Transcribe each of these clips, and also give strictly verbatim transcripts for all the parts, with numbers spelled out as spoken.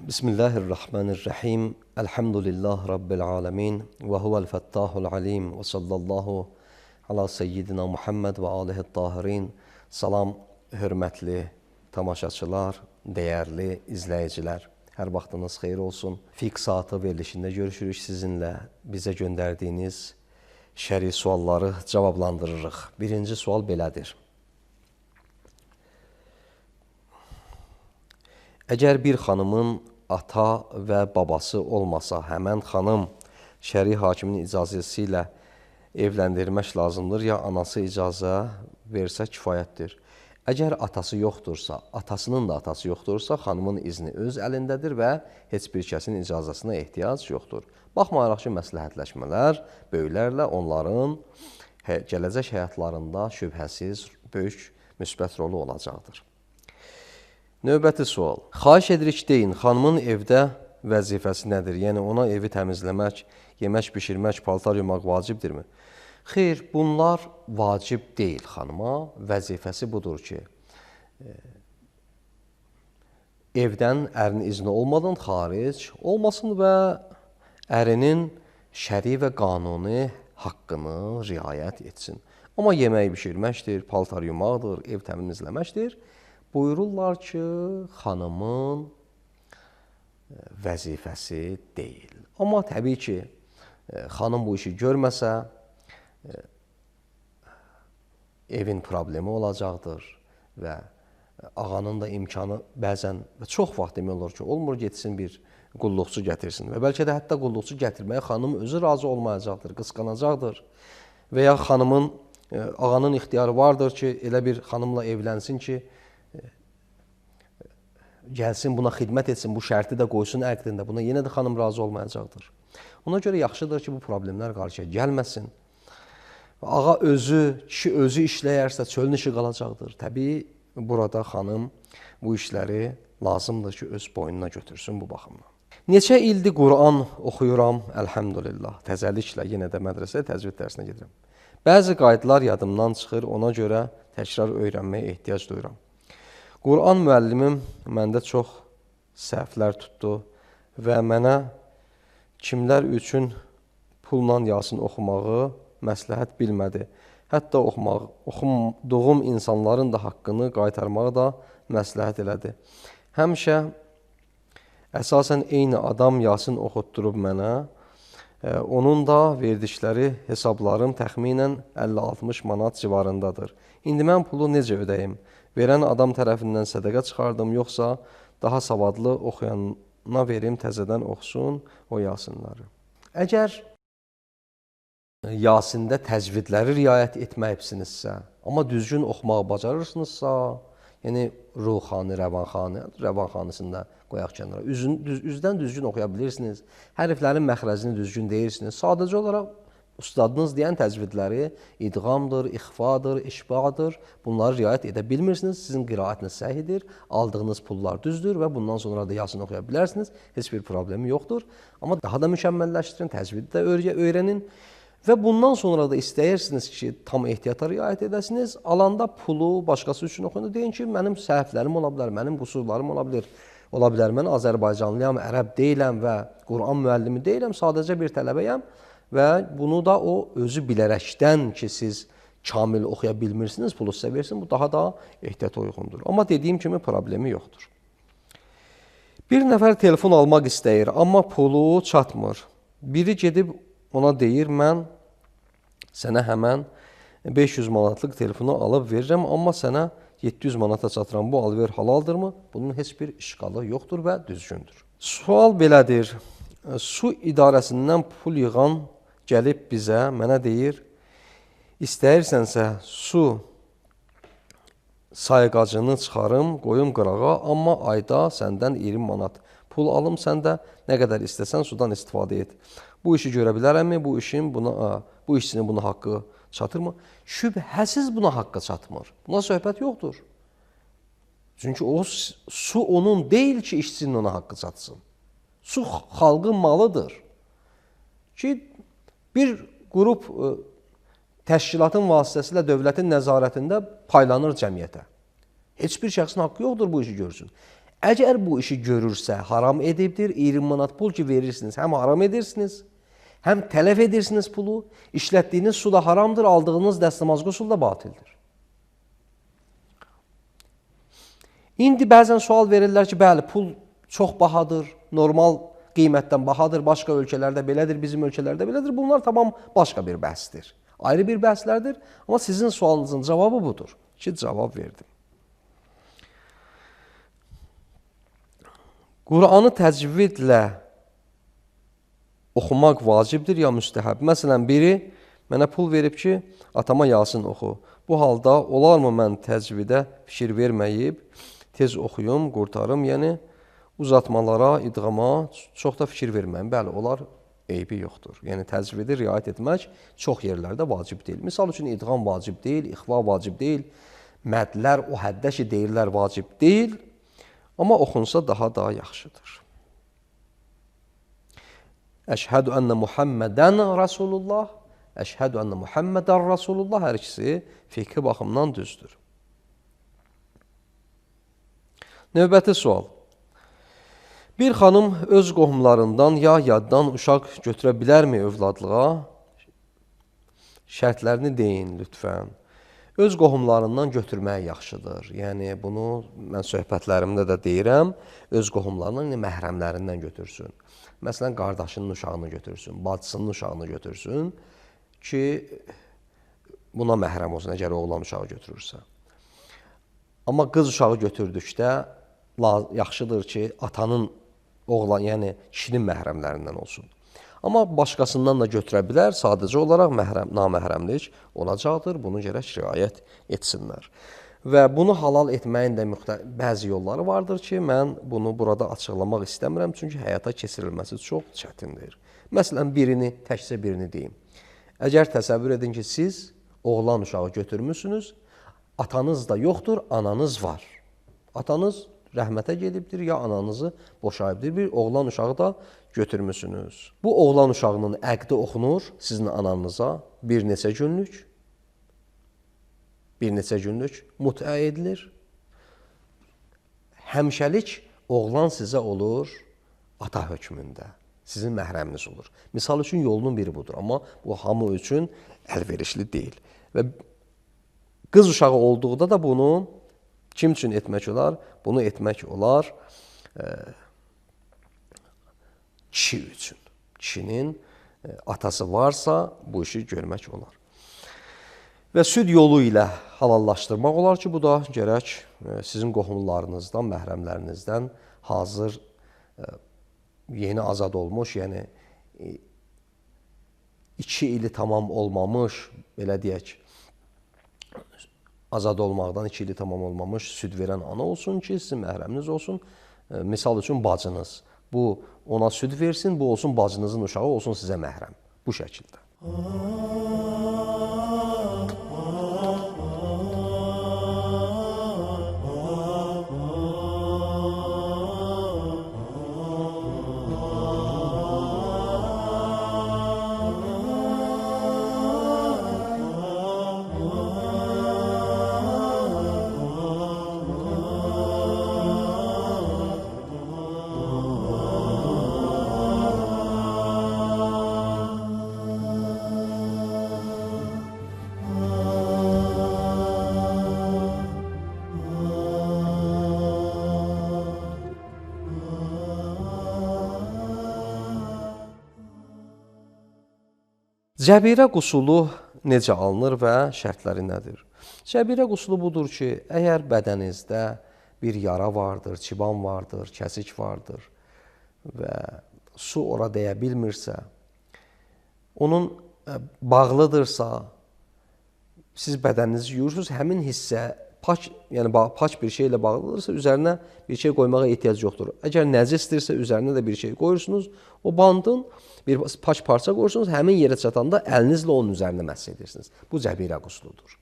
Bismillahirrahmanirrahim. Elhamdülillah Rabbil alemin. Ve huvel fettahul alim. Ve sallallahu ala seyyidina Muhammed ve alihi tahirin. Salam, hörmətli tamaşaçılar, dəyərli izləyicilər. Hər vaxtınız xeyir olsun. Fiqh saatı verilişində görüşürük sizinlə. Bizə göndərdiyiniz şəri sualları cavablandırırıq. Birinci sual belədir. Əgər bir xanımın ata və babası olmasa, həmən xanım şəri hakimin icazəsi ilə evləndirmək lazımdır, ya anası icazə versə kifayətdir. Əgər atası yoxdursa, atasının da atası yoxdursa, xanımın izni öz əlindədir və heç bir kəsin icazəsinə ehtiyac yoxdur. Baxmayaraq ki, məsləhətləşmələr böyüklərlə onların gələcək həyatlarında şübhəsiz böyük müsbət rolu olacaqdır. Növbəti sual. Xahiş edirik deyin, xanımın evdə vəzifəsi nədir? Yəni, ona evi təmizləmək, yemək bişirmək, paltar yumaq vacibdirmi? Xeyr, bunlar vacib deyil xanıma. Vəzifəsi budur ki, e, evdən ərin izni olmadan xaric olmasın və ərinin şəri və qanuni haqqını riayət etsin. Amma yemək bişirməkdir, paltar yumaqdır, ev təmizləməkdir. Buyururlar ki, xanımın vəzifəsi deyil. Amma təbii ki, xanım bu işi görməsə, evin problemi olacaqdır və ağanın da imkanı bəzən və çox vaxt demək olur ki, olmur getsin bir qulluqçu gətirsin və bəlkə də hətta qulluqçu gətirməyə xanım özü razı olmayacaqdır, qısqanacaqdır və ya xanımın, ağanın ixtiyarı vardır ki, elə bir xanımla evlənsin ki, gəlsin, buna xidmət etsin, bu şərti də qoysun əqdində, buna yenə də xanım razı olmayacaqdır. Ona görə yaxşıdır ki, bu problemlər qarşıya gəlməsin. Ağa özü, kişi özü işləyərsə çölün işi qalacaqdır. Təbii, burada xanım bu işləri lazımdır ki, öz boynuna götürsün bu baxımdan. Neçə ildir Quran oxuyuram, əlhəmdülillah. Təzəliklə yenə də mədrəsəyə təcvid dərsinə gedirəm. Bəzi qaydalar yadımdan çıxır, ona görə təkrar öyrənməyə ehtiyac duyuram. Quran müəllimim məndə çox səhvlər tutdu və mənə kimlər üçün pulla Yasin oxumağı məsləhət bilmədi. Hətta oxumaq, oxuduğum insanların da haqqını qaytarmağı da məsləhət elədi. Həmişə əsasən eyni adam Yasin oxutdurub mənə, onun da verdikləri hesablarım təxminən əlli altmış manat civarındadır. İndi mən pulu necə ödəyim? Verən adam tərəfindən sədəqə çıxardım, yoxsa daha savadlı oxuyana verim, təzədən oxusun o Yasinləri. Əgər Yasində təcvidləri riayət etməyibsinizsə, amma düzgün oxumağı bacarırsınızsa, yəni ruhani, rəvanxani, rəvanxanisində qoyaq kənara, üzün, düz, üzdən düzgün oxuya bilirsiniz, hərflərin məxrəcini düzgün deyirsiniz, sadəcə olaraq ustadınız deyən təcvidləri idğamdır, ixfadır, işbağdır. Bunları riayət edə bilmirsiniz. Sizin qiraətiniz səhidir, aldığınız pullar düzdür və bundan sonra da Yasin oxuya bilərsiniz. Heç bir problemi yoxdur. Amma daha da mükəmməlləşdirin, təcvidi də öyrənin. Və bundan sonra da istəyirsiniz ki, tam ehtiyata riayət edəsiniz. Alanda pulu başqası üçün oxuyun. Deyin ki, mənim səhvlərim ola bilər, mənim qüsurlarım ola bilər. Ola bilər, mən Azərbaycanlıyam, ərəb deyiləm və Quran müəllimi deyiləm, sadəcə bir tələbəyəm. Və bunu da o özü bilərəkdən ki, siz kamil oxuya bilmirsiniz, pulu sizə versin, bu daha da ehtiyata uyğundur. Amma dediyim kimi problemi yoxdur. Bir nəfər telefon almaq istəyir, amma pulu çatmır. Biri gedib ona deyir, mən sənə həmən beş yüz manatlıq telefonu alıb verirəm, amma sənə yeddi yüz manata çatıram, bu alver halaldırmı? Bunun heç bir işqalı yoxdur və düzgündür. Sual belədir, su idarəsindən pul yığan gəlib bizə, mənə deyir, istəyirsənsə su sayğacını çıxarım, qoyum qırağa, amma ayda səndən iyirmi manat pul alım, sən də nə qədər istəsən sudan istifadə et. Bu işi görə bilərəmmi? Bu işin buna, bu işçinin buna haqqı çatırmı? Şübhəsiz buna haqqı çatmır. Buna söhbət yoxdur. Çünki o su onun deyil ki, işçinin ona haqqı çatsın. Su xalqın malıdır. Ki bir qrup təşkilatın vasitəsilə dövlətin nəzarətində paylanır cəmiyyətə. Heç bir şəxsin haqqı yoxdur bu işi görsün. Əgər bu işi görürsə, haram edibdir, iyirmi manat pul ki verirsiniz, həm haram edirsiniz, həm tələf edirsiniz pulu, işlətdiyiniz su da haramdır, aldığınız dəstəmazgı su da batildir. İndi bəzən sual verirlər ki, bəli, pul çox bahadır, normal qiymətdən bahadır, başqa ölkələrdə belədir, bizim ölkələrdə belədir. Bunlar tamam başqa bir bəhsdir. Ayrı bir bəhslərdir, amma sizin sualınızın cavabı budur ki, cavab verdim. Quranı təcvidlə oxumaq vacibdir ya müstəhəb? Məsələn, biri mənə pul verib ki, atama Yasin oxu. Bu halda olarmı mən təcvidə fikir verməyib, tez oxuyum, qurtarım, yəni uzatmalara, idğama çox da fikir verməyim. Bəli, olar, eybi yoxdur. Yəni təcvidi riayət etmək çox yerlərdə vacib deyil. Misal üçün, idğam vacib deyil, ixva vacib deyil, mədlər o həddə ki, deyirlər vacib deyil, amma oxunsa daha da yaxşıdır. Əşhədü ənnə Muhammədən Rasulullah, əşhədü ənnə Muhammədən Rasulullah hər ikisi fiqhi baxımdan düzdür. Növbəti sual. Bir xanım öz qohumlarından ya yaddan uşaq götürə bilərmi övladlığa? Şərtlərini deyin lütfən. Öz qohumlarından götürmək yaxşıdır. Yəni, bunu mən söhbətlərimdə də deyirəm, öz qohumlarından, yəni məhrəmlərindən götürsün. Məsələn, qardaşının uşağını götürsün, bacısının uşağını götürsün ki, buna məhrəm olsun, əgər oğlan uşağı götürürsə. Amma qız uşağı götürdükdə yaxşıdır ki, atanın oğlan, yəni kişinin məhrəmlərindən olsun. Amma başqasından da götürə bilər, sadəcə olaraq məhrəm, naməhrəmlik olacaqdır, bunu gərək riayət etsinlər. Və bunu halal etməyin də bəzi yolları vardır ki, mən bunu burada açıqlamaq istəmirəm, çünki həyata keçirilməsi çox çətindir. Məsələn, birini, təkcə birini deyim. Əgər təsəvvür edin ki, siz oğlan uşağı götürmüsünüz, atanız da yoxdur, ananız var. Atanız rəhmətə gedibdir, ya ananızı boşayıbdır, bir oğlan uşağı da götürmüsünüz. Bu oğlan uşağının əqdi oxunur sizin ananıza bir neçə günlük, bir neçə günlük mütə edilir. Həmişəlik oğlan sizə olur ata hökmündə, sizin məhrəminiz olur. Misal üçün yolunun biri budur, amma bu hamı üçün əlverişli deyil. Və qız uşağı olduqda da bunu kim üçün etmək olar? Bunu etmək olar e, kişi üçün. Kişinin e, atası varsa bu işi görmək olar. Və süd yolu ilə halallaşdırmaq olar ki, bu da gərək e, sizin qohumlarınızdan, məhrəmlərinizdən hazır e, yeni azad olmuş, yəni e, iki ili tamam olmamış, belə deyək, azad olmaqdan iki ili tamam olmamış süd verən ana olsun ki, sizin məhrəminiz olsun. E, misal üçün bacınız. Bu ona süd versin, bu olsun bacınızın uşağı, olsun sizə məhrəm. Bu şəkildə. Cəbirə qusulu necə alınır və şərtləri nədir? Cəbirə qusulu budur ki, əgər bədəninizdə bir yara vardır, çiban vardır, kəsik vardır və su ora dəyə bilmirsə, onun bağlıdırsa, siz bədəninizi yuyursunuz, həmin hissə pak, yəni pak bir şeylə bağlıdırsa, üzərinə bir şey qoymağa ehtiyac yoxdur. Əgər nəcisdirsə, üzərinə də bir şey qoyursunuz, o bandın bir pak parça qoyursunuz, həmin yerə çatanda əlinizlə onun üzərinə məs edirsiniz. Bu cəbirə qusludur.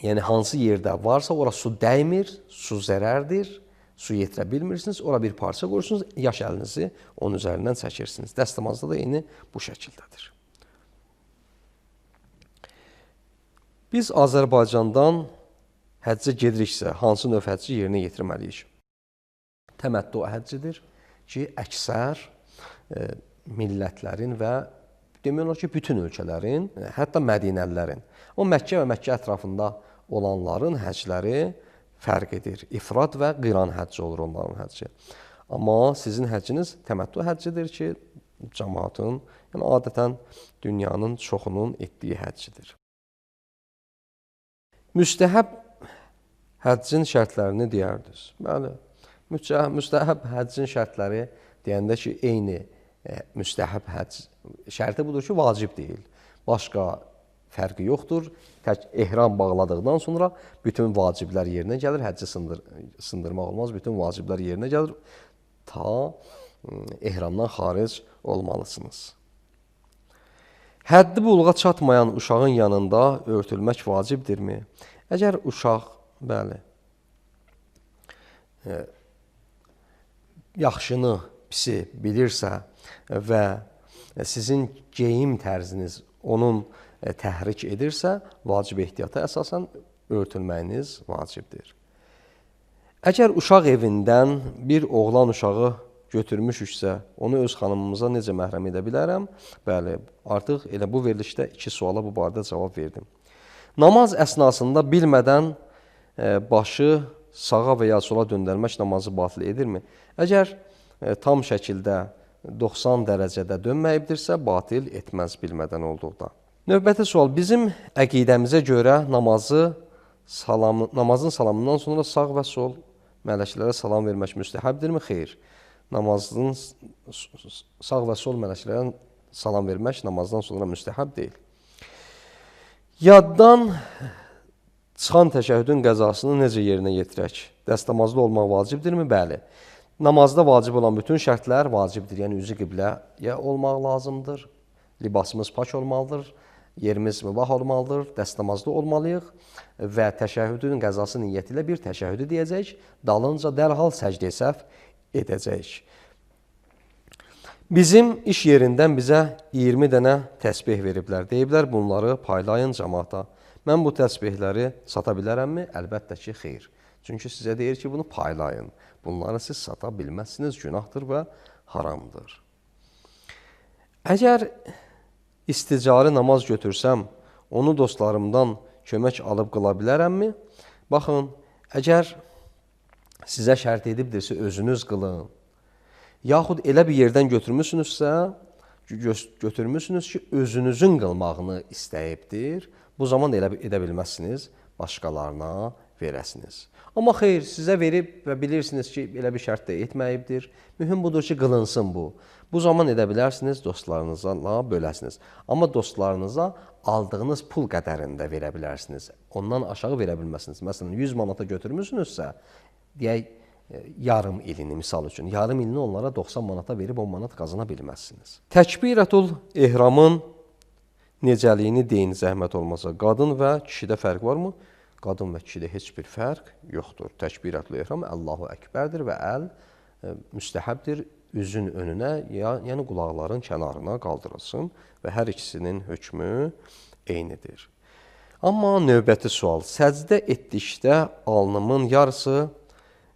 Yəni, hansı yerdə varsa, ora su dəymir, su zərərdir, su yetirə bilmirsiniz, ora bir parça qoyursunuz, yaş əlinizi onun üzərindən çəkirsiniz. Dəstəmazda da eyni bu şəkildədir. Biz Azərbaycandan həccə gediriksə, hansı növ həcci yerinə yetirməliyik? Təməttu həccidir ki, əksər e, millətlərin və demək olar ki, bütün ölkələrin, hətta Mədinəlilərin, o Məkkə və Məkkə ətrafında olanların həcləri fərq edir. İfrad və qiran həcci olur onların həcci. Amma sizin həcciniz təməttu həccidir ki, cəmaatın, yəni adətən dünyanın çoxunun etdiyi həccidir. Müstəhəb həccin şərtlərini deyərdiniz. Bəli, müstəhəb həccin şərtləri deyəndə ki, eyni e, müstəhəb həcc şərti budur ki, vacib deyil. Başqa fərqi yoxdur. Tək ehram bağladıqdan sonra bütün vaciblər yerinə gəlir. Həcci sındır, sındırmaq olmaz. Bütün vaciblər yerinə gəlir. Ta ehramdan xaric olmalısınız. Həddi buluğa çatmayan uşağın yanında örtülmək vacibdirmi? Əgər uşaq, bəli, e, yaxşını, pisi bilirsə və sizin geyim tərziniz onun e, təhrik edirsə, vacib ehtiyata əsasən örtülməyiniz vacibdir. Əgər uşaq evindən bir oğlan uşağı götürmüşüksə, onu öz xanımımıza necə məhrəm edə bilərəm? Bəli, artıq elə bu verilişdə iki suala bu barədə cavab verdim. Namaz əsnasında bilmədən e, başı sağa və ya sola döndərmək namazı batil edirmi? Əgər e, tam şəkildə doxsan dərəcədə dönməyibdirsə, batil etməz bilmədən olduqda. Növbəti sual, bizim əqidəmizə görə namazı salam, namazın salamından sonra sağ və sol mələklərə salam vermək müstəhəbdirmi? Xeyr. Namazın sağ və sol mələklərə salam vermək namazdan sonra müstəhəb deyil. Yaddan çıxan təşəhhüdün qəzasını necə yerinə yetirək? Dəstəmazlı olmaq vacibdirmi? Bəli. Namazda vacib olan bütün şərtlər vacibdir. Yəni, üzü qibləyə olmaq lazımdır, libasımız pak olmalıdır, yerimiz mübah olmalıdır, dəstəmazlı olmalıyıq və təşəhhüdün qəzası niyyəti ilə bir təşəhhüdü deyəcək, dalınca dərhal səcdə səhv edəcəyik. Bizim iş yerindən bizə iyirmi dənə təsbih veriblər. Deyiblər, bunları paylayın cəmaata. Mən bu təsbihləri sata bilərəmmi? Əlbəttə ki, xeyr. Çünki sizə deyir ki, bunu paylayın. Bunları siz sata bilməzsiniz, günahdır və haramdır. Əgər isticari namaz götürsəm, onu dostlarımdan kömək alıb qıla bilərəmmi? Baxın, əgər sizə şərt edibdirsə, özünüz qılın. Yaxud elə bir yerdən götürmüsünüzsə, götürmüsünüz ki, özünüzün qılmağını istəyibdir. Bu zaman elə edə bilməzsiniz, başqalarına verəsiniz. Amma xeyr, sizə verib və bilirsiniz ki, elə bir şərt də etməyibdir. Mühüm budur ki, qılınsın bu. Bu zaman edə bilərsiniz, dostlarınızla böləsiniz. Amma dostlarınıza aldığınız pul qədərində verə bilərsiniz. Ondan aşağı verə bilməzsiniz. Məsələn, yüz manata götürmüsünüzsə, deyək, yarım ilini, misal üçün, yarım ilini onlara doxsan manata verib on manat qazana bilməzsiniz. Təkbirətul ehramın necəliyini deyin, zəhmət olmasa. Qadın və kişidə fərq varmı? Qadın və kişidə heç bir fərq yoxdur. Təkbirətul ehram Allahu Əkbərdir və əl e, müstəhəbdir üzün önünə, ya, yəni qulaqların kənarına qaldırılsın və hər ikisinin hökmü eynidir. Amma növbəti sual, səcdə etdikdə alnımın yarısı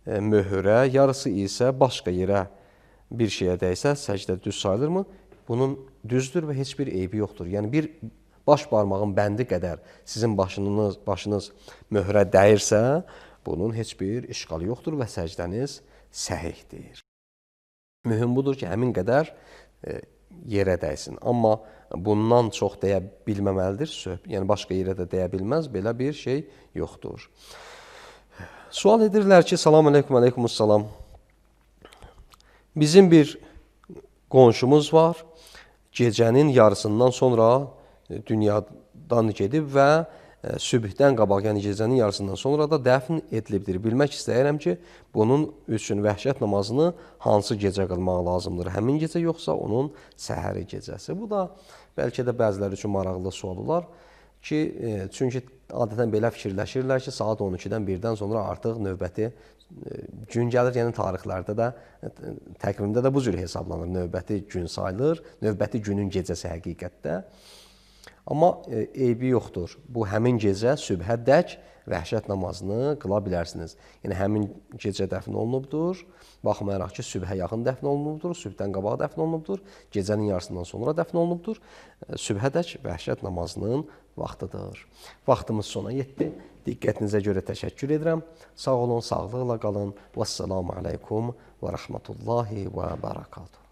e, möhürə, yarısı isə başqa yerə bir şeyə dəysə, səcdə düz sayılırmı? Bunun düzdür və heç bir eybi yoxdur. Yəni, bir baş barmağın bəndi qədər sizin başınız, başınız möhrə dəyirsə, bunun heç bir işğalı yoxdur və səcdəniz səhihdir. Mühüm budur ki, həmin qədər e, yerə dəysin. Amma bundan çox deyə bilməməlidir. Yəni, başqa yerə də deyə bilməz, belə bir şey yoxdur. Sual edirlər ki, salam aleykum, aleykumussalam. Bizim bir qonşumuz var. Gecənin yarısından sonra dünyadan gedib və sübhdən qabaq, yəni gecənin yarısından sonra da dəfn edilibdir. Bilmək istəyirəm ki, bunun üçün vəhşət namazını hansı gecə qılmaq lazımdır? Həmin gecə yoxsa onun səhəri gecəsi? Bu da bəlkə də bəziləri üçün maraqlı sual olar ki, çünki adətən belə fikirləşirlər ki, saat on ikidən birdən sonra artıq növbəti gün gəlir, yəni tarixlərdə də, təqvimdə də bu cür hesablanır. Növbəti gün sayılır, növbəti günün gecəsi həqiqətdə. Amma eybi yoxdur. Bu həmin gecə sübhədək vəhşət namazını qıla bilərsiniz. Yəni həmin gecə dəfn olunubdur. Baxmayaraq ki, sübhə yaxın dəfn olunubdur, sübhdən qabaq dəfn olunubdur, gecənin yarısından sonra dəfn olunubdur. Sübhədək vəhşət namazının vaxtıdır. Vaxtımız sona yetdi. Diqqətinizə görə təşəkkür edirəm. Sağ olun, sağlıqla qalın. Vəssalamu aleykum və rəhmətullahi və bərəkatuhu.